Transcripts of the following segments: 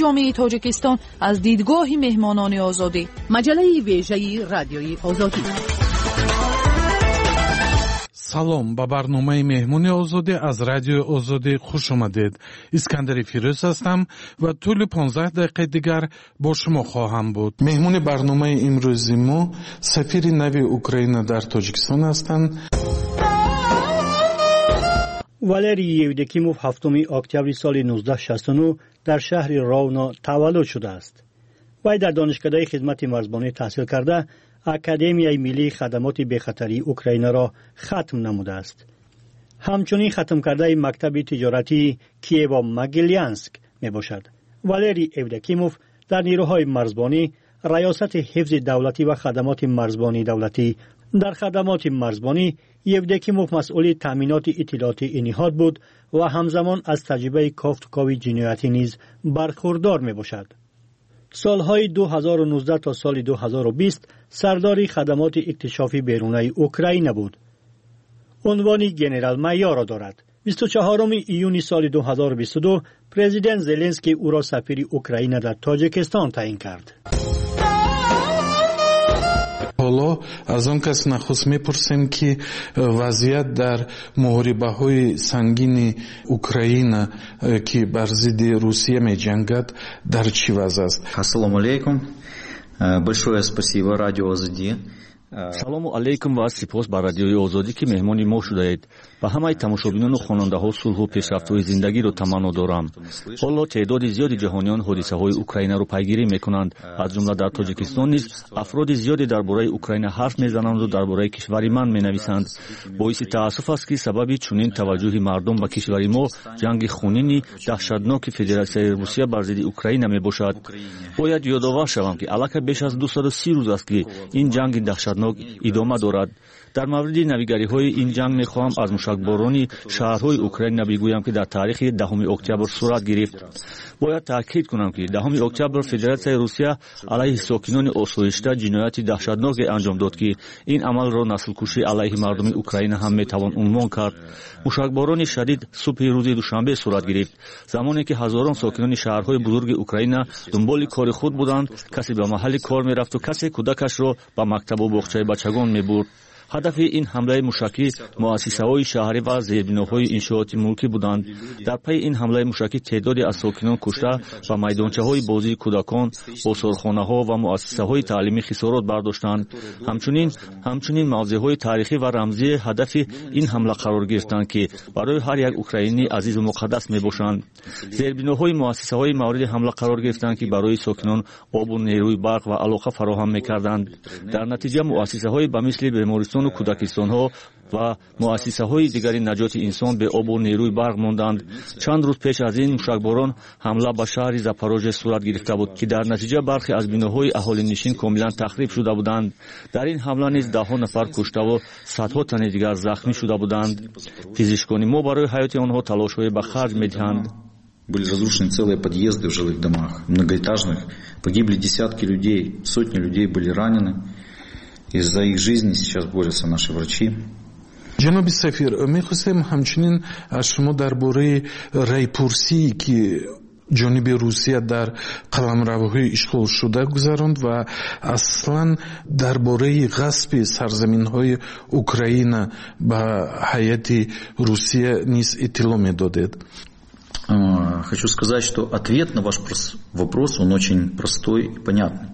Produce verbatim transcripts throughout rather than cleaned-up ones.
ҷомеаи Тоҷикистон аз дидгоҳи меҳмонони Озодӣ. Маҷаллаи вежаи Радиои Озодӣ. Салом, ба барномаи Меҳмони Озодӣ аз Радиои Озодӣ хуш омадед. Искандари Фирӯз ҳастам ва тӯли понздаҳ дақиқаи дигар бо шумо хоҳам буд. Меҳмони барномаи имрӯзи мо сафири нави Украина дар Тоҷикистон ҳастанд. Валерий Евдокимов ҳафтуми октябри соли нуздаҳ шасту нӯҳ дар шаҳри Ровно таваллуд шудааст. Вай дар Донишкадаи хизмати марзбонӣ таҳсил карда, Академияи миллии хадамоти бехатарии Украинаро хатм намудааст. Ҳамчунин хатмкардаи мактаби тиҷоратии Киево-Могилянск мебошад. Валерий Евдокимов дар нерӯҳои марзбонӣ, Раёсати ҳифзи давлатӣ ва хадамоти марзбонии давлатӣ. Дар хадамоти марзбонӣ Евдокимов масъули таъминоти иттилоотии ин ниҳод буд ва ҳамзамон аз таҷрибаи кофтукови ҷиноятӣ низ бархурдор мебошад. Солҳои ду ҳазору нуздаҳ то соли ду ҳазору бист сардори хадамоти иктишофи берунаи Украина буд. Унвони генерал-майорро дорад. Бисту чаҳоруми июни соли ду ҳазору бисту ду президент Зеленский ӯро сафири Украина дар Тоҷикистон таъин кард. Ҳоло аз он кас нахуст мепурсем, ки вазъият дар муҳорибаҳои сангини Украина, ки бар зидди Русия меҷангад, дар чӣ вазъ аст. Ассалому алайкум. Большое спасибо Радио Озодӣ. Салому алайкум ва сипос ба Радиои Озодӣ, ки меҳмони мо шудаед. Ба ҳамаи тамошобинону хонандаҳо сулҳу пешрафтҳои зиндагиро таманно дорам. Ҳоло теъдоди зиёди ҷаҳониён ҳодисаҳои Украинаро пайгирӣ мекунанд. Аз ҷумла дар Тоҷикистон низ афроди зиёде дар бораи Украина ҳарф мезананду дар бораи кишвари ман менависанд. Боиси таассуф аст, ки сабаби чунин таваҷҷӯҳи мардум ба кишвари мо ҷанги хунини даҳшатноки Федератсияи Русия бар зидди Украина мебошад. Бояд ёдовар шавам, ки аллакай беш аз дусаду си рӯз аст, ки ин ҷанги даҳшатнок идома дорад. Дар мавриди навигариҳои ин ҷанг мехоҳам аз мушакборони шаҳрҳои Украина бигӯям, ки дар таърихи даҳуми октябр сурат гирифт. Бояд таъкид кунам, ки даҳуми октябр Федератсияи Русия алайҳи сокинони осоишта ҷинояти даҳшатноке анҷом дод, ки ин амалро наслкушӣ алайҳи мардуми Украина ҳам метавон унвон кард. Мушакборони шадид субҳи рӯзи душанбе сурат гирифт, замоне ки ҳазорон сокинони шаҳрҳои бузурги Украина дунболи кори худ буданд. Касе ба маҳалли кор мерафту касе кӯдакашро ба мактабу боғчаи бачагон мебурд. Ҳадафи ин ҳамлаи мушакӣ муассисаҳои шаҳрӣ ва зербиноҳои иншооти мулкӣ буданд. Дар пайи ин ҳамлаи мушакӣ теъдоде аз сокинон кушта ва майдончаҳои бозии кӯдакон, осорхонаҳо ва муассисаҳои таълимӣ хисорот бардоштанд. Ҳамчунин ҳамчунин мавзеъҳои таърихӣ ва рамзии ҳадафи ин ҳамла қарор гирифтанд, ки барои ҳар як украинӣ азизу муқаддас мебошанд. Зербиноҳои муассисаҳои мавриди ҳамла қарор гирифтанд, ки барои сокинон обу нерӯи барқ ва алоқа фароҳам мекарданд. Дар натиҷа муассисаҳои ба мисли бемористон ва кӯдакистонҳо ва муассисаҳои дигари наҷоти инсон бе обу нерӯи барқ монданд. Чанд рӯз пеш аз ин мушакборон ҳамла ба шаҳри Запорожье сурат гирифта буд, ки дар натиҷа бархе аз биноҳои аҳолинишин комилан тахриб шуда буданд. Дар ин ҳамла низ даҳҳо нафар куштаву садҳо тани дигар захмӣ шуда буданд. Пизишкони мо барои ҳаёти онҳо талошҳое ба харҷ медиҳанд. Были разрушены целые подъезды в жилых домах, многоэтажных. Погибли десятки людей, сотни людей были ранены. И за их жизни сейчас борются наши врачи. Ҷаноби сафир, мехостем ҳамчунин аз шумо дар бораи райпурсие, ки ҷониби Русия дар қаламравҳои ишғолшуда гузаронд ва аслан дар бораи ғасби сарзаминҳои Украина ба ҳайати Русия низ иттилоъ медодед. Хочу сказать, что ответ на ваш вопрос, он очень простой и понятный.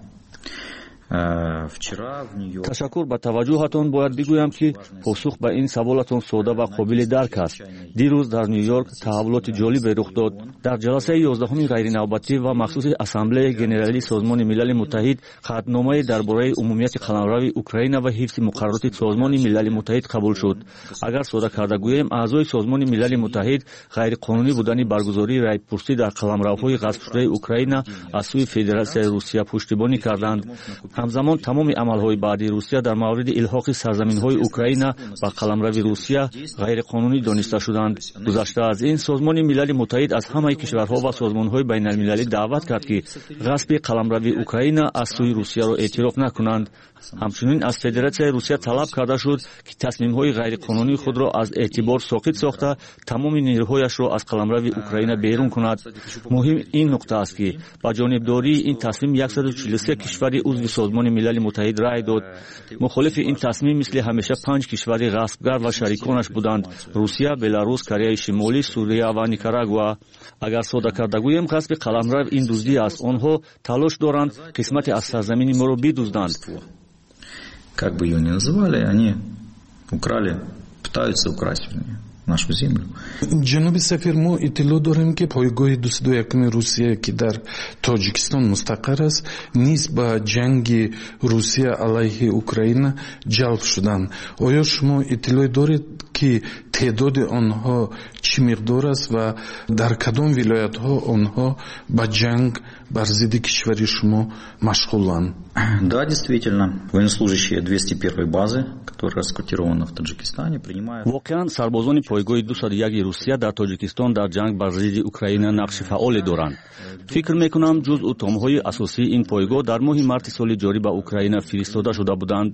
Ташаккур ба таваҷҷӯҳатон. Бояд бигӯям, ки посух ба ин саволатон сода ва қобили дарк аст. Дирӯз дар Ню-Йорк таҳаввулоти ҷолибе рух дод. Дар ҷаласаи ёздаҳуми ғайринавбатӣ ва махсуси Ассамблеяи Генералии Созмони Милали Муттаҳид қатъномае дар бораи умумияти қаламрави Украина ва ҳифзи муқаррароти Созмони Милали Муттаҳид қабул шуд. Агар сода карда гӯем, аъзои Созмони Милали Муттаҳид ғайриқонунӣ будани баргузории райпурсӣ дар қаламравҳои ғасбшудаи Украина аз сӯи Федератсияи Русия пуштибонӣ карданд. Ҳамзамон тамоми амалҳои баъдии Русия дар мавриди илҳоқи сарзаминҳои Украина ба қаламрави Русия ғайриқонунӣ дониста шуданд. Гузашта аз ин, Созмони Милали Муттаҳид аз ҳамаи кишварҳо ва созмонҳои байналмилалӣ даъват кард, ки ғасби қаламрави Украина аз сӯи Русияро эътироф накунанд. Ҳамчунин аз Федератсияи Русия талаб карда шуд, ки тасмимҳои ғайриқонунии худро аз эътибор соқит сохта, тамоми нерӯҳояшро аз қаламрави Украина берун кунад. Муҳим ин нуқта аст, ки ба ҷонибдории ин тасмим яксаду чилу се кишвари узви Созмони Милали Муттаҳид рай дод. Мухолифи ин тасмим мисли ҳамеша панҷ кишвари ғасбгар ва шариконаш буданд: Русия, Беларус, Кореяи Шимолӣ, Сурия ва Никарагуа. Агар сода карда гӯем, ғасби қаламрав ин дуздӣ аст. Онҳо талош доранд қисмате аз сарзамини моро бидузданд. Как бы ее ни называли, они украли, пытаются украсть, вернее, нашу землю. Ҷаноби сафир, мо иттилоъ дорем, ки пойгоҳи дусаду якуми Русия, ки дар Тоҷикистон мустақар аст, низ ба ҷанги Русия алайҳи Украина ҷалб шуданд. Оё шумо иттилоъ доред, ки теъдоди онҳо чӣ миқдор аст ва дар кадом вилоятҳо онҳо ба ҷанг бар зидди кишвари шумо машғуланд? Да, действительно, военнослужащие двести первой базы, которая расквартирована в Таджикистане, принимают... Воқеан, сарбозони пойгоҳи дусаду яки Русия дар Тоҷикистон дар ҷанг бар зидди Украина нақши фаъоле доранд. Фикр мекунам, ҷузъу томҳои асосии ин пойгоҳ дар моҳи марти соли ҷорӣ ба Украина фиристода шуда буданд.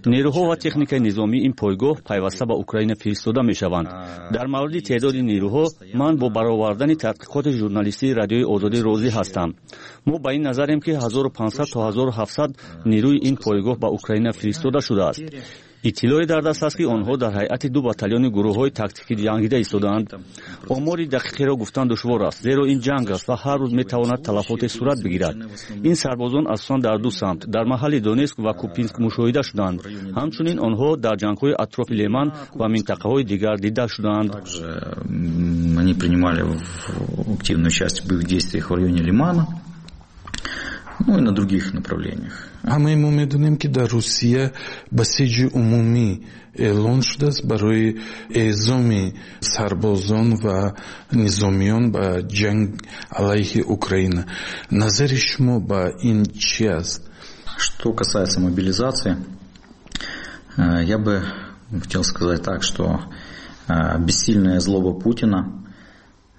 Нерӯҳо ва техникаи низомии ин пойгоҳ пайваста ба Украина фиристода мешаванд. Дар мавриди теъдоди нерӯҳо ман бо баровардани таҳқиқоти журналистии Радиои Озодӣ розӣ ҳастам. Мо ба ин назарем, ки ҳазору панҷсад то ҳазору ҳафтсад нерӯи ин пойгоҳ ба Украина фиристода шудааст. Иттилоъе дар даст аст, ки онҳо дар ҳайати ду батальони гурӯҳҳои тактикӣ ҷангида истодаанд. Омори дақиқеро гуфтан душвор аст, зеро ин ҷанг аст ва ҳар рӯз метавонад талафоте сурат бигирад. Ин сарбозон асосан дар ду самт, дар маҳалли Донецк ва Купинск мушоҳида шуданд. Ҳамчунин онҳо дар ҷангҳои атрофи Леман ва минтақаҳои дигар дида шуданд. Они принимали активное участие в боевых действиях в районе Лимана, ну и на других направлениях. Ҳамаи мо медонем, ки дар Русия басиҷи умумӣ эълон шудааст барои эъзоми сарбозон ва низомиён ба ҷанг алайҳи Украина. Назари шумо ба ин чӣ аст? Что касается мобилизации, я бы хотел сказать так, что бессильная злоба Путина,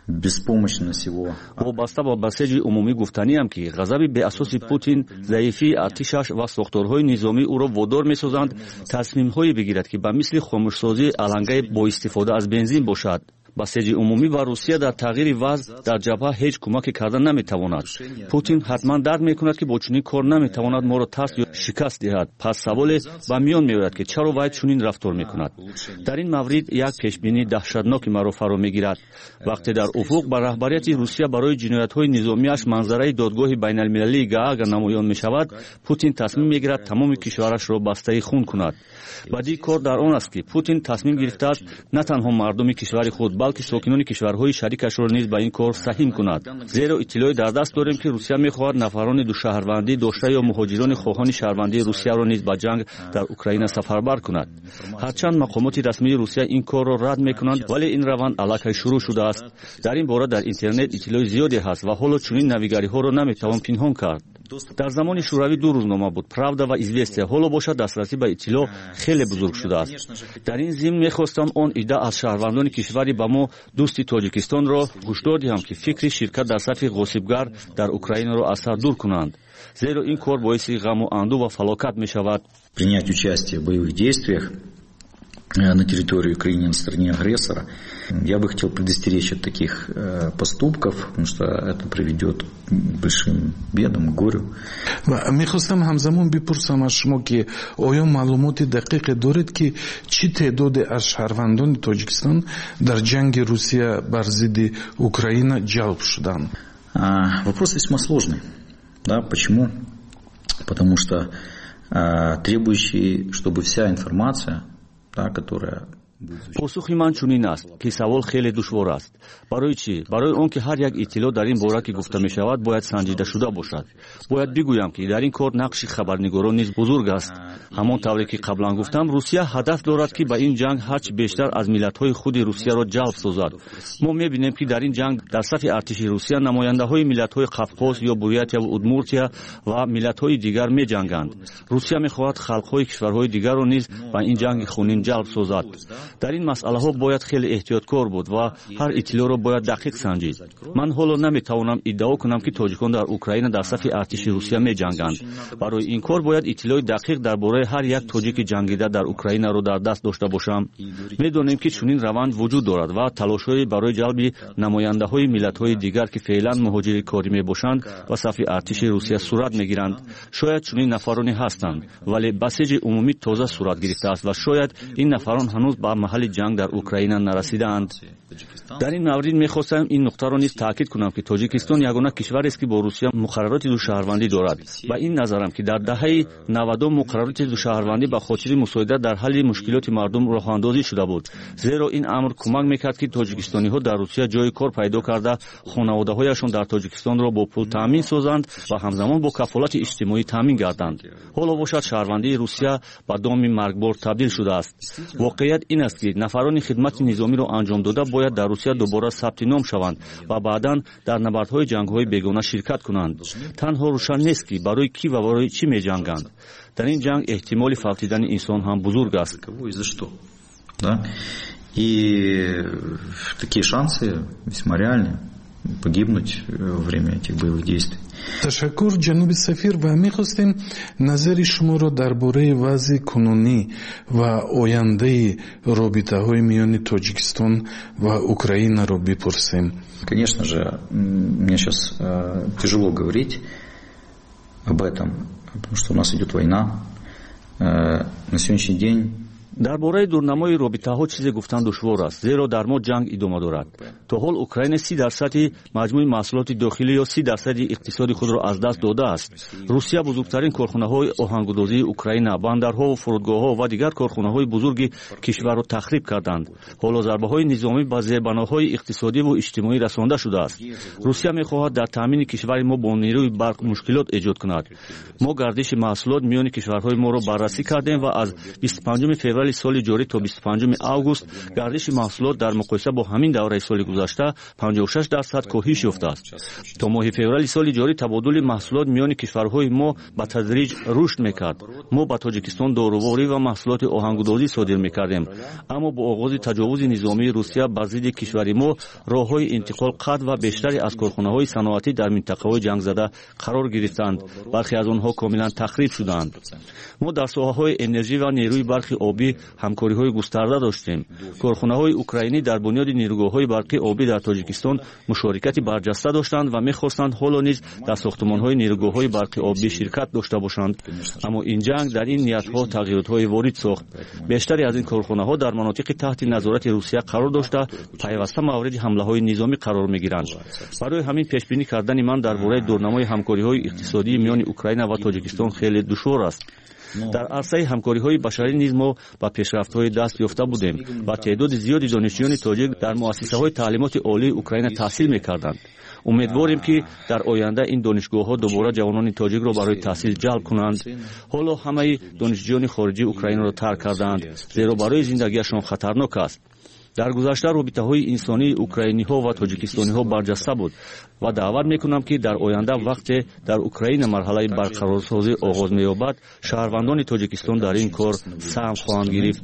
беспомощность его. Вобаста ба басеҷи умумӣ гуфтаниам, ки ғазаби беасоси Путин, заифии артишаш ва сохторҳои низомӣ ӯро водор месозанд тасмимҳое бигирад, ки ба мисли хомӯшсозии алангаи бо истифода аз бензин бошад. Басеҷи умумӣ ба Русия дар тағйири вазъ дар ҷабҳа ҳеҷ кӯмаке карда наметавонад. Путин ҳатман дарк мекунад, ки бо чунин кор наметавонад моро тарс ё шикаст диҳад. Пас саволе ба миён меояд, ки чаро вай чунин рафтор мекунад. Дар ин маврид як пешбинии даҳшатноки маро фаро мегирад. Вақте дар уфуқ ба раҳбарияти Русия барои ҷиноятҳои низомиаш манзараи додгоҳи байналмилалии Гаага намоён мешавад, Путин тасмим мегирад тамоми кишварашро бастаи хун кунад. Бадии кор дар он аст, ки Путин тасмим гирифтааст на танҳо мардуми кишвари худ, балки сокинони кишварҳои шарикашро низ ба ин кор саҳим кунад. Зеро иттилоъе дар даст дорем, ки Русия мехоҳад нафарони душаҳрвандӣ дошта ё муҳоҷирони хоҳони шаҳрвандии Русияро низ ба ҷанг дар Украина сафарбар кунад. Ҳарчанд мақомоти расмии Русия ин корро рад мекунанд, вале ин раванд аллакай шурӯъ шудааст. Дар ин бора дар интернет иттилои зиёде ҳаст ва ҳоло чунин навигариҳоро наметавон пинҳон кард. Дар замони Шӯравӣ ду рӯзнома буд: Правда ва Известия. Ҳоло бошад, дастрасӣ ба иттилоъ хеле бузург шудааст. Дар ин зимн мехостам он идда аз шаҳрвандони кишвари ба мо дӯсти Тоҷикистонро ҳушдор диҳам, ки фикри ширкат дар сафи ғосибгар дар Украинаро аз сар дур кунанд, зеро ин кор боиси ғаму андӯ ва фалокат мешавад. Принять участие в боевых действиях на территории Украины на стороне агрессора. Я бы хотел предостеречь от таких поступков, потому что это приведет к большим бедам, к горю. Мехостам ҳамзамон бипурсам аз шумо, ки оё маълумоти дақиқе доред, ки чӣ теъдоде аз шаҳрвандони Тоҷикистон дар ҷанги Русия бар зидди Украина ҷалб шуданд? Вопрос весьма сложный. Да, почему? Потому что требующий, чтобы вся информация, да, которая Посухи ман чунин аст, ки савол хеле душвор аст. Барои чӣ? Барои он ки ҳар як иттилоъ дар ин бора, ки гуфта мешавад, бояд санҷида шуда бошад. Бояд бигӯям, ки дар ин кор нақши хабарнигорон низ бузург аст. Ҳамон тавре ки қаблан гуфтам, Русия ҳадаф дорад, ки ба ин ҷанг ҳарчи бештар аз миллатҳои худи Русияро ҷалб созад. Мо мебинем, ки дар ин ҷанг дар сафи артиши Русия намояндаҳои миллатҳои Қавқоз ё Бурятияву Удмуртия ва миллатҳои дигар меҷанганд. Русия мехоҳад халқҳои кишварҳои дигарро низ ба ин ҷанги хунин ҷалб созад. Дар ин масъалаҳо бояд хеле эҳтиёткор буд ва ҳар иттилоъро бояд дақиқ санҷид. Ман ҳоло наметавонам иддао кунам, ки тоҷикон дар Украина дар сафи артиши Русия меҷанганд. Барои ин кор бояд иттилои дақиқ дар бораи ҳар як тоҷики ҷангида дар Украинаро дар даст дошта бошам. Медонем, ки чунин раванд вуҷуд дорад ва талошҳое барои ҷалби намояндаҳои миллатҳои дигар, ки феълан муҳоҷири корӣ мебошанд, ба сафи артиши Русия сурат мегиранд. Шояд чунин нафароне ҳастанд, вале басиҷи умумӣ тоза сурат гирифтааст ва шояд ин нафарон ҳанӯз ба маҳалли ҷанг дар Украина нарасидаанд. Дар ин маврид мехостам ин нуқтаро низ таъкид кунам, ки Тоҷикистон ягона кишварест, ки бо Русия муқаррароти душаҳрвандӣ дорад. Ба ин назарам, ки дар даҳаи навадум муқаррароти душаҳрвандӣ ба хотири мусоидат дар ҳалли мушкилоти мардум роҳандозӣ шуда буд, зеро ин амр кӯмак мекард, ки тоҷикистониҳо дар Русия ҷои кор пайдо карда, хонаводаҳояшон дар Тоҷикистонро бо пул таъмин созанд ва ҳамзамон бо кафолати иҷтимоӣ таъмин гарданд. Ҳоло бошад, шаҳрвандии Русия ба доми маргбор табдил шудааст. Воқеият ин аст, ки нафарони хидмати низомиро анҷом дода бояд дар Русия дубора сабти ном шаванд ва баъдан дар набардҳои ҷангҳои бегона ширкат кунанд. Танҳо рӯшан нест, ки барои кӣ ва барои чӣ меҷанганд. Дар ин ҷанг эҳтимоли фавтидани инсон ҳам бузург аст. И такие шансы весьма реальны погибнуть во время этих боевых действий. Ташаккур, ҷаноби сафир, ва мехостем назари шуморо дар бораи вазъи кунунӣ ва ояндаи робитаҳои миёни Тоҷикистон ва Украинаро бипурсем. Конечно же, мне сейчас тяжело говорить об этом, потому что у нас идет война. На сегодняшний день Дар бораи дурнамои робитаҳо чизе гуфтан душвор аст, зеро дар мо ҷанг идома дорад. То ҳол Украина си дарсади маҷмӯи маҳсулоти дохилӣ ё си дарсади иқтисоди худро аз даст додааст. Русия бузургтарин корхонаҳои оҳангудозии Украина, бандарҳову фурудгоҳҳо ва дигар корхонаҳои бузурги кишварро тахриб карданд. Ҳоло зарбаҳои низомӣ ба зербаноҳои иқтисодиву иҷтимоӣ расонда шудааст. Русия мехоҳад дар таъмини кишвари мо бо нерӯи барқ мушкилот эҷод кунад. Мо гардиши маҳсулот миёни кишварҳои моро баррасӣ кардем ва аз бисту панҷуми феврали соли ҷорӣ то бисту панҷуми август гардиши маҳсулот дар муқоиса бо ҳамин давраи соли гузашта панҷоҳу шаш дарсад коҳиш ёфтааст. То моҳи феврали соли ҷорӣ табодули маҳсулот миёни кишварҳои мо ба тадриҷ рушд мекард. Мо ба Тоҷикистон доруворӣ ва маҳсулоти оҳангудозӣ содир мекардем, аммо бо оғози таҷовузи низомии Русия бар зидди кишвари мо роҳҳои интиқол қатъ ва бештаре аз корхонаҳои саноатӣ дар минтақаҳои ҷангзада қарор гирифтанд. Бархе аз онҳо комилан тахриб шуданд. Мо дар соҳаҳои энержӣ ва нерӯи барқи обӣ ҳамкориҳои густарда доштем. Корхонаҳои украинӣ дар бунёди нерӯгоҳҳои барқи обӣ дар Тоҷикистон мушорикати барҷаста доштанд ва мехостанд ҳоло низ дар сохтмонҳои нерӯгоҳҳои барқи обӣ ширкат дошта бошанд. Аммо ин ҷанг дар ин ниятҳо тағйиротҳое ворид сохт. Бештаре аз ин корхонаҳо дар манотиқи таҳти назорати Русия қарор дошта, пайваста мавриди ҳамлаҳои низомӣ қарор мегиранд. Барои ҳамин пешбинӣ кардани ман дар бораи дурнамои ҳамкориҳои иқтисодии миёни Украина ва Тоҷикистон хеле душвор аст. Дар арсаи ҳамкориҳои башарӣ низ мо ба пешрафтҳои даст ёфта будем ва теъдоди зиёди донишҷӯёни тоҷик дар муассисаҳои таълимоти олии Украина таҳсил мекарданд. Умедворем, ки дар оянда ин донишгоҳҳо дубора ҷавонони тоҷикро барои таҳсил ҷалб кунанд. Ҳоло ҳамаи донишҷӯёни хориҷии Украинаро тарк кардаанд, зеро барои зиндагиашон хатарнок аст. Дар гузашта робитаҳои инсонии украиниҳо ва тоҷикистониҳо барҷаста буд ва даъват мекунам, ки дар оянда вақте дар Украина марҳалаи барқарорсозӣ оғоз меёбад, шаҳрвандони Тоҷикистон дар ин кор саҳм хоҳанд гирифт.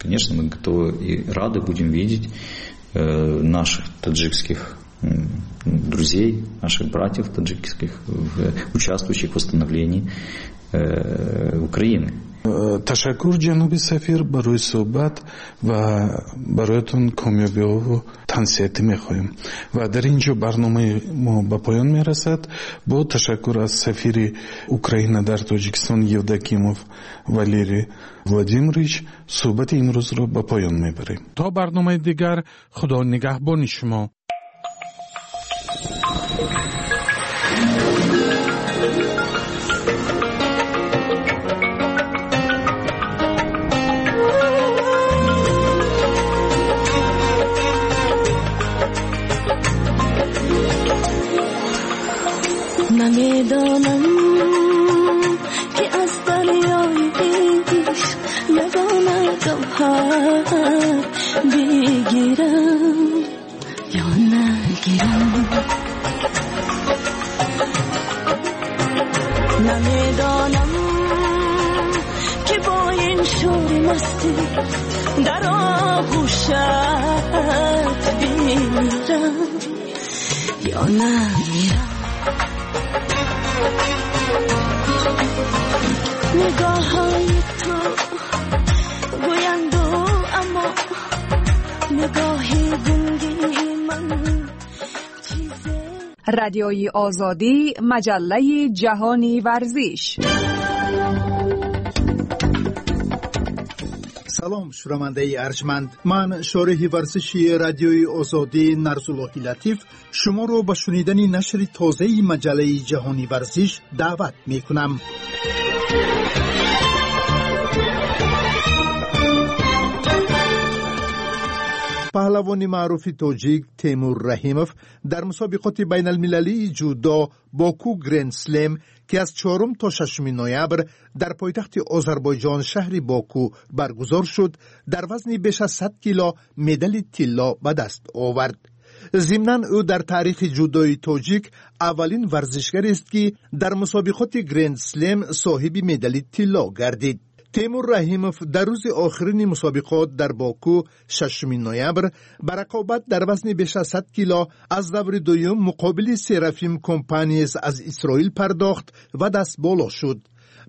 Конечно, мы готовы и рады будем видеть наших таджикских друзей, наших братьев таджикских, участвующих в восстановлении Украины. Ташаккур, ҷаноби сафир, барои суҳбат ва бароятон комёбиҳову тансиҳатӣ мехоҳем. Ва дар ин ҷо барномаи мо ба поён мерасад. Бо ташаккур аз сафири Украина дар Тоҷикистон Евдокимов Валерий Владимирович суҳбати имрӯзро ба поён мебарем. То барномаи дигар, Худо нигаҳбони шумо. Намедонам ки аз дарёи ишқ ягона гавҳар бигирам ё нагирам. Намедонам ки бо ин шури масти дар оғӯшат бимирам ё намирам. Нигоҳҳои ту гӯянд аммо нигоҳи гунги ман чизе. Радиои Озодӣ, маҷаллаи ҷаҳони варзиш. Салом, шунавандаи арҷманд. Ман шореҳи варзиши радиои Озодӣ Нарзуллоҳи Латиф шуморо ба шунидани нашри тозаи маҷаллаи ҷаҳони варзиш даъват мекунам. Паҳлавони маъруфи тоҷик Темур Раҳимов дар мусобиқоти байналмилалии ҷудо Боку Гренд Слем, ки аз чорум то шашуми ноябр дар пойтахти Озарбойҷон шаҳри Боку баргузор шуд, дар вазни беш аз сад кило медали тилло ба даст овард. Зимнан ӯ дар таърихи ҷудои тоҷик аввалин варзишгарест, ки дар мусобиқоти Гренд Слем соҳиби медали тилло гардид. Темур Раҳимов дар рӯзи охирини мусобиқот дар Боку шашуми ноябр ба рақобат дар вазни беш аз сад кило аз даври дуюм муқобили Серафим Компаниес аз Исроил пардохт ва дастболо шуд.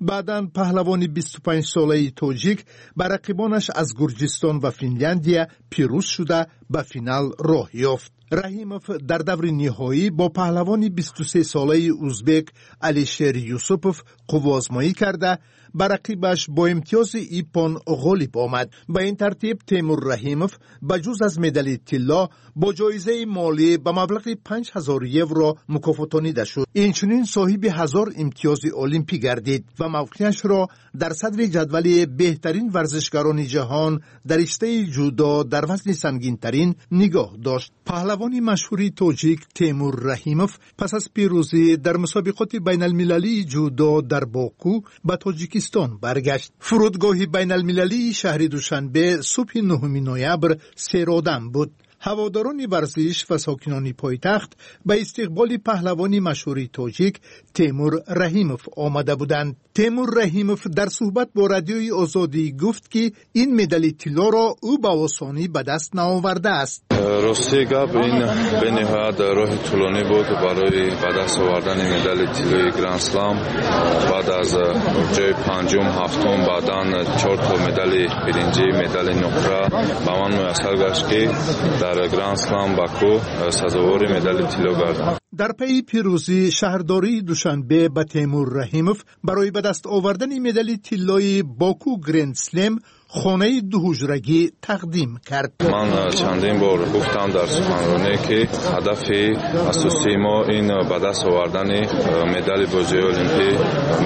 Баъдан паҳлавони бисту панҷсолаи тоҷик ба рақибонаш аз Гурҷистон ва Финляндия пирӯз шуда ба финал роҳ ёфт. Раҳимов дар даври ниҳоӣ бо паҳлавони бисту сесолаи узбек Алишер Юсупов қувваозмоӣ карда ба рақибаш бо имтиёзи иппон ғолиб омад. Ба ин тартиб Темур Раҳимов ба ҷуз аз медали тилло бо ҷоизаи молӣ ба маблағи панҷ ҳазор евро мукофотонида шуд. Инчунин соҳиби ҳазор имтиёзи олимпӣ гардид ва мавқеашро дар садри ҷадвали беҳтарин варзишгарони ҷаҳон дар риштаи ҷудо дар вазни сангинтарин нигоҳ дошт. Паҳлавони машҳури тоҷик Темур Раҳимов пас аз пирӯзӣ дар мусобиқоти байналмилалии ҷудо дар Боку ба Тоҷикистон баргашт. Фурудгоҳи байналмилалии шаҳри Душанбе субҳи нуҳуми ноябр серодам буд. Ҳаводорони варзиш ва сокинони пойтахт ба истиқболи паҳлавони машҳури тоҷик Темур Раҳимов омада буданд. Темур Раҳимов дар суҳбат бо радиои Озодӣ гуфт, ки ин медали тиллоро ӯ ба осонӣ ба даст наовардааст. Рости гап, ин бениҳоят роҳи тӯлонӣ буд барои ба даст овардани медали тиллои Гранд Слам. Баъд аз ҷои панҷум, ҳафтум, баъдан чор то медали биринҷӣ, медали нуқра ба ман муяссар гашт, ки дар Гранд Слам Баку сазовори медали тилло гардам. Дар пайи пирӯзӣ шаҳрдории Душанбе ба Темур Раҳимов барои ба даст овардани медали тиллои Боку Гренд Слем хонаи дуҳуҷрагӣ тақдим кард. Ман чандин бор гуфтам дар суханронӣ, ки ҳадафи асосии мо ин ба даст овардани медали бозиҳои олимпӣ,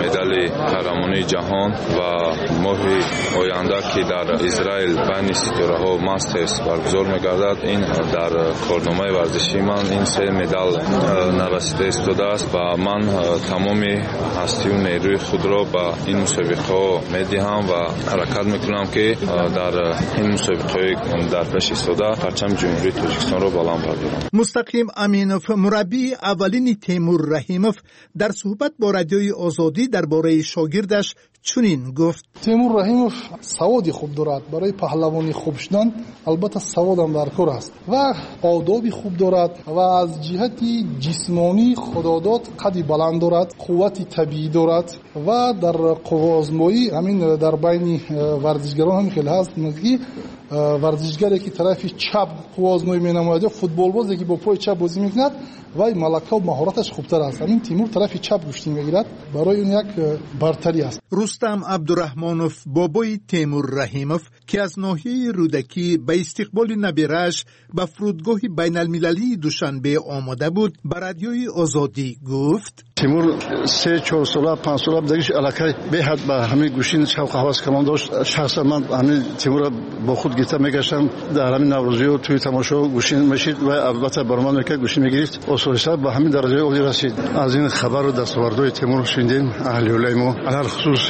медали қаҳрамонии ҷаҳон ва моҳи оянда, ки дар Израил байни ситораҳо Мастерс баргузор мегардад, ин дар корномаи варзишии ман ин се медал нарасида истодааст ва ман тамоми ҳастию нерӯи худро ба ин мусобиқаҳо медиҳам ва ҳаракат мекунам, ки дар ин мусобиқаҳои дар пеш истода парчами Ҷумҳурии Тоҷикистонро баланд бардорам. Мустақим Аминов, мураббии аввалини Темур Раҳимов, дар суҳбат бо радиои Озодӣ дар бораи шогирдаш чунин гуфт: Темур Раҳимов саводи хуб дорад. Барои паҳлавони хуб шудан албатта саводам дар кор аст ва одоби хуб дорад ва аз ҷиҳати ҷисмонӣ худодод қади баланд дорад, қуввати табиӣ дорад ва дар қувваозмоӣ ҳамин дар байни варзишгарон ҳам хеле ҳаст, ки варзишгаре ки тарафи чап қувваозмоӣ менамояд ё футболбозе ки бо пои чап бозӣ мекунад, вай малакаву маҳораташ хубтар аст. Ҳамин Тимур тарафи чап гӯштӣ мегирад, барои он як бартарӣ аст. Рустам Абдураҳмонов, бобои Темур Раҳимов, ки аз ноҳияи Рӯдакӣ ба истиқболи набирааш ба фурудгоҳи байналмилалии Душанбе омода буд, ба радиои Озодӣ гуфт: Тимур се чор сола, панҷ сола будагиш аллакай беҳад ба ҳамин гӯштин шавқу ҳавас калон дошт. Шахсан ман ҳамин Тимурро бо худ гирифта мегаштам дар ҳамин наврӯзиё, тӯи тамошо гӯштин мешид ва албатта баромад мекард, гӯштин мегирифт. Оҳиста оҳиста ба ҳамин дараҷаи олӣ расид. Аз ин хабару дастовардҳои Темур шунидем, аҳли ҳулаи мо, алалхусус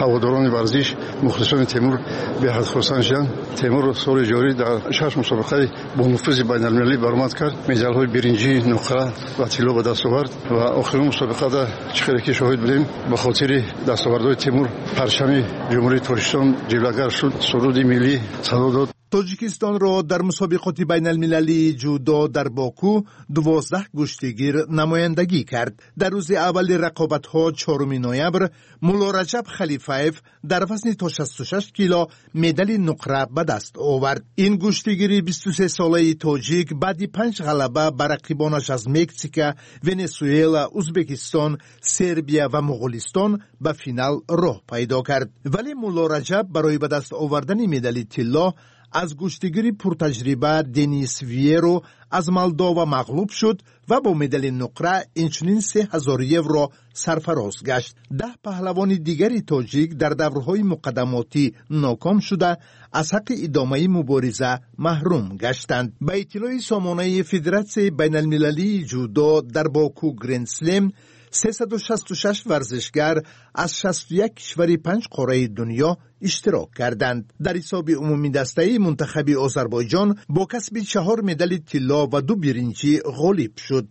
ҳаводорони варзиш, мухлисони Темур беҳад хурсанд шуданд. Темур соли ҷорӣ дар шаш мусобиқаи бонуфузи байналмилалӣ баромад кард, медалҳои биринҷӣ, нуқра ва тилло ба даст овард ва охирин мусобиқада чӣ хеле ки шоҳид будем, ба хотири дастовардҳои Темур парчами Ҷумҳурии Тоҷикистон ҷилвагар шуд, суруди миллӣ садо дод. Тоҷикистонро дар мусобиқоти байналмилалии ҷудо дар Боку дувоздаҳ гӯштигир намояндагӣ кард. Дар рӯзи аввали рақобатҳо, чоруми ноябр, Муллораҷаб Халифаев дар вазни то шасту шаш кило медали нуқра ба даст овард. Ин гӯштигири бисту се солаи тоҷик баъди панҷ ғалаба ба рақибонаш аз Мексика, Венесуэла, Узбекистон, Сербия ва Моғулистон ба финал роҳ пайдо кард. Вале Муллораҷаб барои ба даст овардани медали тилло аз гӯштигири пуртаҷриба Денис Виеро аз Молдова мағлуб шуд ва бо медали нуқра инчунин се ҳазор евро сарфароз гашт. Даҳ паҳлавони дигари тоҷик дар даврҳои муқаддамотӣ ноком шуда, аз ҳаққи идомаи мубориза маҳрум гаштанд. Ба иттилои сомонаи Федератсияи байналмилалии ҷудо, дар Боку Грендслем сесаду шасту шаш варзишгар аз шасту як кишвари панҷ қораи дунё иштирок карданд. Дар ҳисоби умумидастаи мунтахаби Озарбойҷон бо касби чаҳор медали тилло ва ду биринҷӣ ғолиб шуд.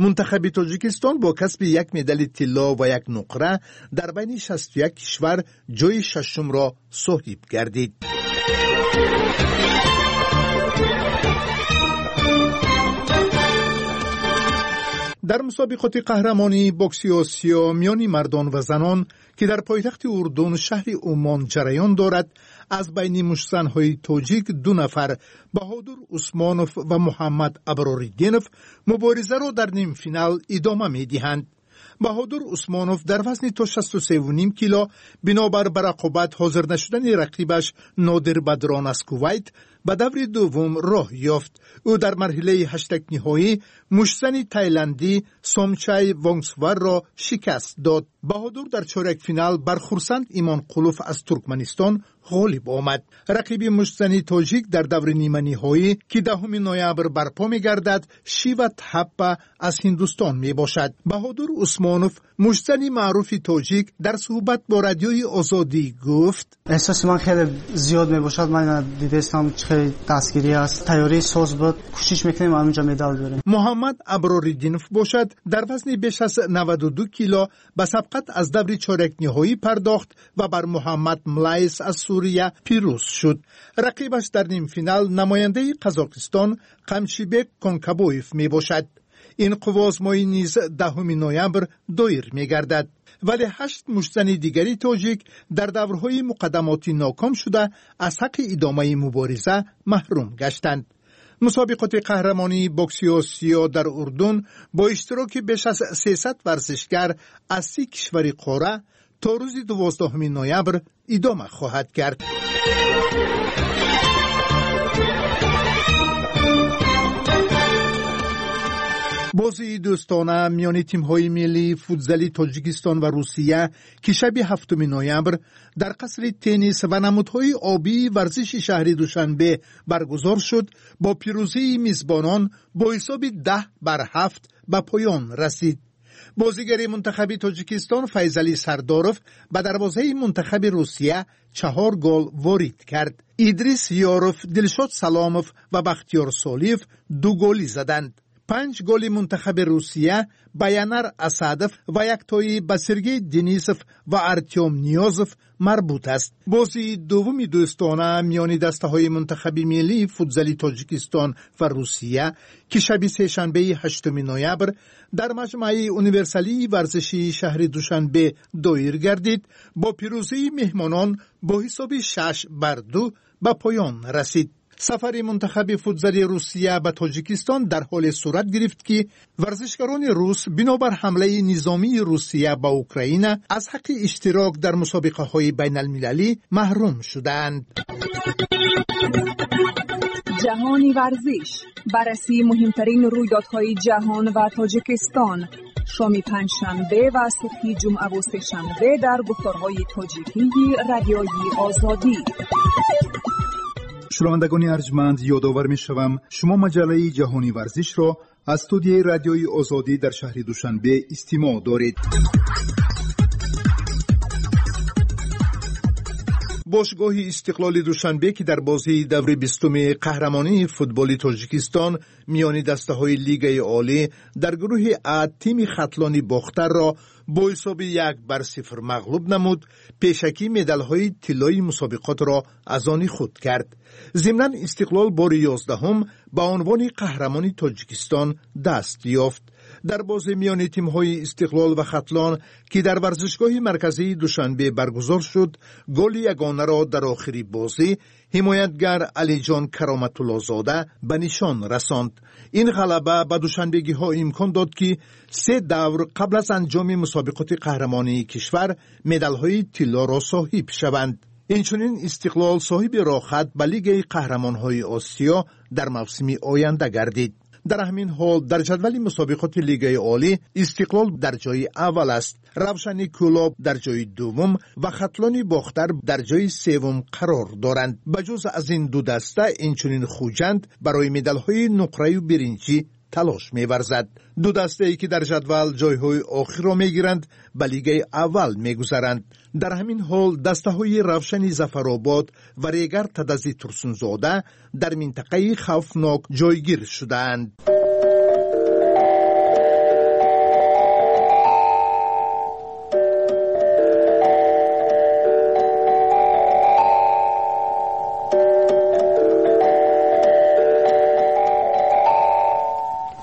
Мунтахаби Тоҷикистон бо касби як медали тилло ва як нуқра дар байни шасту як кишвар ҷои шашумро соҳиб гардид. Дар мусобиқоти қаҳрамонии бокси Осиё миёни мардон ва занон, ки дар пойтахти Урдун, шаҳри Умон ҷараён дорад, аз байни муштзанҳои тоҷик ду нафар, Баҳодур Усмонов ва Муҳаммад Аброриддинов, муборизаро дар нимфинал идома медиҳанд. Баҳодур Усмонов дар вазни то шасту севу ним кило бинобар ба рақобат ҳозир нашудани рақибаш Нодир Бадрон аз Кувайт ба даври дуввум роҳ ёфт. Ӯ дар марҳилаи ҳаштакниҳоӣ муштзани тайландӣ Сомчай Вонгсварро шикаст дод. Баҳодур дар чорякфинал бар Хурсанд Имонқулов аз Туркманистон ғолиб омад. Рақиби муштзани тоҷик дар даври ниманиҳоӣ, ки даҳуми ноябр барпо мегардад, Шива Тхаппа аз Ҳиндустон мебошад. Баҳодур Усмонов, муштзани маъруфи тоҷик, дар суҳбат бо Радиои Озодӣ гуфт: эҳсоси ман хеле зиёд мебошад. Ман дидастам чӣ хеле дастгирӣ аст, тайёрии соз буд, кӯшиш мекунем ҳаминҷо медал биёрем. Муҳаммад Аброриддинов бошад, дар вазни беш аз наваду ду кило ба сабқат аз даври чорякниҳоӣ пардохт ва бар Муҳаммад Млайс аз Сурия пирӯз шуд. Рақибаш дар нимфинал намояндаи Қазоқистон Қамчибек Конкабоев мебошад. Ин қувваозмоӣ низ даҳуми ноябр доир мегардад. Вале ҳашт муштзани дигари тоҷик дар даврҳои муқаддамотӣ ноком шуда, аз ҳаққи идомаи мубориза маҳрум гаштанд. Мусобиқоти қаҳрамонии бокси Осиё дар Урдун бо иштироки беш аз сесад варзишгар аз си кишвари қора то рӯзи дувоздаҳуми ноябр идома хоҳад кард. Бозии дӯстона миёни тимҳои миллии футзали Тоҷикистон ва Русия, ки шаби ҳафтуми ноябр дар қасри теннис ва намудҳои обии варзиши шаҳри Душанбе баргузор шуд, бо пирӯзии мизбонон бо ҳисоби даҳ бар ҳафт ба поён расид. Бозигари мунтахаби Тоҷикистон Файзалӣ Сардоров ба дарвозаи мунтахаби Русия чаҳор гол ворид кард. Идрис Ёров, Дилшод Саломов ва Бахтиёр Солиев ду голӣ заданд. Панҷ голи мунтахаби Русия ба Янар Асадов ва яктоӣ ба Сергей Денисов ва Артём Ниёзов марбут аст. Бозии дуввуми дӯстона миёни дастаҳои мунтахаби миллии футзали Тоҷикистон ва Русия, ки шаби сешанбеи ҳаштуми ноябр дар маҷмӯаи универсалии варзишии шаҳри Душанбе доир гардид, бо пирӯзии меҳмонон бо ҳисоби шаш бар ду ба поён расид. Сафари мунтахаби футзали Русия ба Тоҷикистон дар ҳоле сурат гирифт, ки варзишгарони рус бинобар ҳамлаи низомии Русия ба Украина аз ҳаққи иштирок дар мусобиқаҳои байналмилалӣ маҳрум шудаанд. Ҷаҳони варзиш, баррасии муҳимтарин рӯйдодҳои ҷаҳон ва Тоҷикистон, шоми панҷшанбе ва субҳи ҷумъаву сешанбе дар гуфторҳои тоҷикии Радиои Озодӣ. Шунавандагони арҷманд, ёдовар мешавам, шумо маҷаллаи ҷаҳони варзишро Аз студияи радиои Озодӣ дар шаҳри Душанбе истимоъ доред. Бошгоҳи Истиқлоли Душанбе, ки дар бозии даври бистуми қаҳрамонии футболи Тоҷикистон миёни дастаҳои Лигаи Олӣ дар гурӯҳи А тими Хатлони Бохтарро бо ҳисоби як бар сифр мағлуб намуд, пешакӣ медалҳои тиллои мусобиқотро аз они худ кард. Зимнан Истиқлол бори ёздаҳум ба унвони қаҳрамони Тоҷикистон даст ёфт. Дар бозӣ миёни тимҳои Истиқлол ва Хатлон, ки дар варзишгоҳи марказии Душанбе баргузор шуд, голи ягонаро дар охири бозӣ ҳимоятгар Алиҷон Кароматуллозода ба нишон расонд. Ин ғалаба ба душанбегиҳо имкон дод, ки се давр қабл аз анҷоми мусобиқоти қаҳрамонии кишвар медалҳои тиллоро соҳиб шаванд. Инчунин Истиқлол соҳиби роҳхат ба Лигаи қаҳрамонҳои Осиё дар мавсими оянда гардид. Дар ҳамин ҳол дар ҷадвали мусобиқоти Лигаи Олӣ Истиқлол дар ҷои аввал аст, Равшани Кӯлоб дар ҷои дуввум ва Хатлони Бохтар дар ҷои севум қарор доранд. Ба ҷуз аз ин ду даста инчунин Хуҷанд барои медалҳои нуқраю биринҷӣ талош меварзад. Ду дастае, ки дар ҷадвал ҷойҳои охирро мегиранд, ба Лигаи аввал мегузаранд. Дар ҳамин ҳол дастаҳои Равшани Зафаробод ва Регар Тадази Турсунзода дар минтақаи хавфнок ҷойгир шудаанд.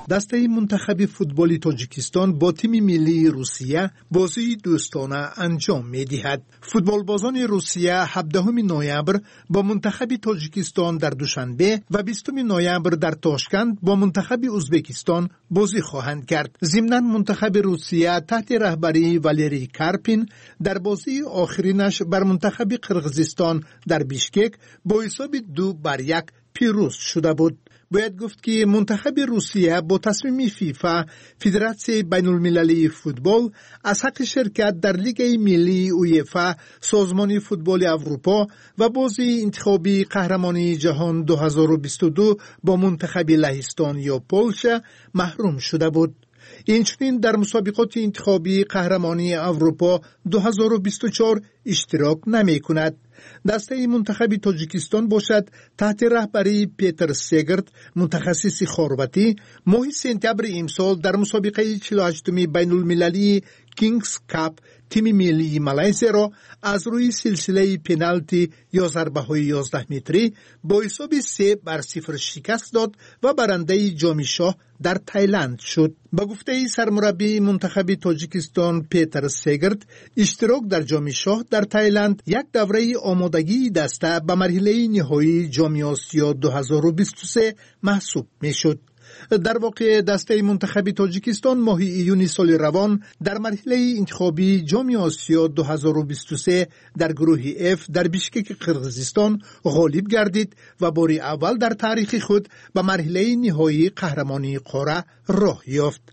Дастаи мунтахаби футболи Тоҷикистон бо тими миллии Русия бозии дӯстона анҷом медиҳад. Футболбозони Русия ҳабдаҳуми ноябр бо мунтахаби Тоҷикистон дар Душанбе ва бистуми ноябр дар Тошканд бо мунтахаби Узбекистон бозӣ хоҳанд кард. Зимнан мунтахаби Русия таҳти раҳбарии Валерий Карпин дар бозии охиринаш бар мунтахаби Қирғизистон дар Бишкек бо ҳисоби ду бар як пирӯз шуда буд. Бояд гуфт, ки мунтахаби Русия бо тасмими ФИФА, Федератсияи байнулмилалии футбол, аз ҳаққи ширкат дар Лигаи миллии УЕФА, Созмони футболи Аврупо ва бозии интихобии қаҳрамонии ҷаҳон ду ҳазору бисту ду бо мунтахаби Лаҳистон ё Полша маҳрум шуда буд. Инчунин дар мусобиқоти интихобии қаҳрамонии Аврупо ду ҳазору бисту чор иштирок намекунад. Дастаи мунтахаби Тоҷикистон бошад таҳти раҳбарии Петр Сегерт, мутахассиси хорватӣ, моҳи сентябри имсол дар мусобиқаи чилу ҳаштуми байнулмилалии Кингс Кап тими миллии Малайзияро аз рӯи силсилаи пеналти ё зарбаҳои ёздаҳметрӣ бо ҳисоби се бар сифр шикаст дод ва барандаи ҷоми шоҳ дар Тайланд шуд. Ба гуфтаи сармураббии мунтахаби Тоҷикистон Петр Сегерт, иштирок дар ҷоми шоҳ дар Тайланд як давраи омодагии даста ба марҳилаи ниҳоии ҷоми Осиё ду ҳазору бисту се маҳсуб мешуд. Дар воқеъ дастаи мунтахаби Тоҷикистон моҳи июни соли равон дар марҳилаи интихобии ҷоми Осиё ду ҳазору бисту се дар гурӯҳи Ф дар Бишкеки Қирғизистон ғолиб гардид ва бори аввал дар таърихи худ ба марҳилаи ниҳоии қаҳрамонии қора роҳ ёфт.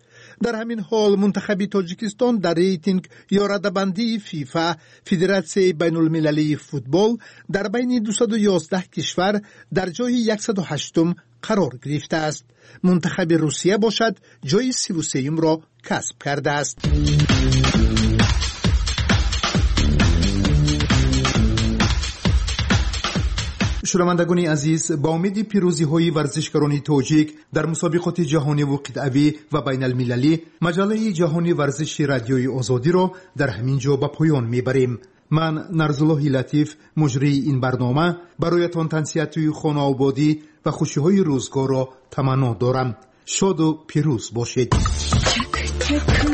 Дар ҳамин ҳол мунтахаби Тоҷикистон дар рейтинг ё радабандии ФИФА, Федератсияи байнулмилалии футбол, дар байни дусаду ёздаҳ кишвар дар ҷои яксаду ҳаштум қарор гирифтааст. Мунтахаби Русия бошад ҷои сиву сеюмро касб кардааст. Шунавандагони азиз, ба умеди пирӯзиҳои варзишгарони тоҷик дар мусобиқоти ҷаҳониву қитъавӣ ва байналмилалӣ, маҷаллаи ҷаҳони варзиши радиои Озодиро дар ҳамин ҷо ба поён мебарем. Ман Нарзуллоҳи Латиф, муҷрии ин барнома, бароятон тансиҳатии хонаободӣ ва хушиҳои рӯзгорро таманно дорам. Шоду пирӯз бошед. Чак-чак.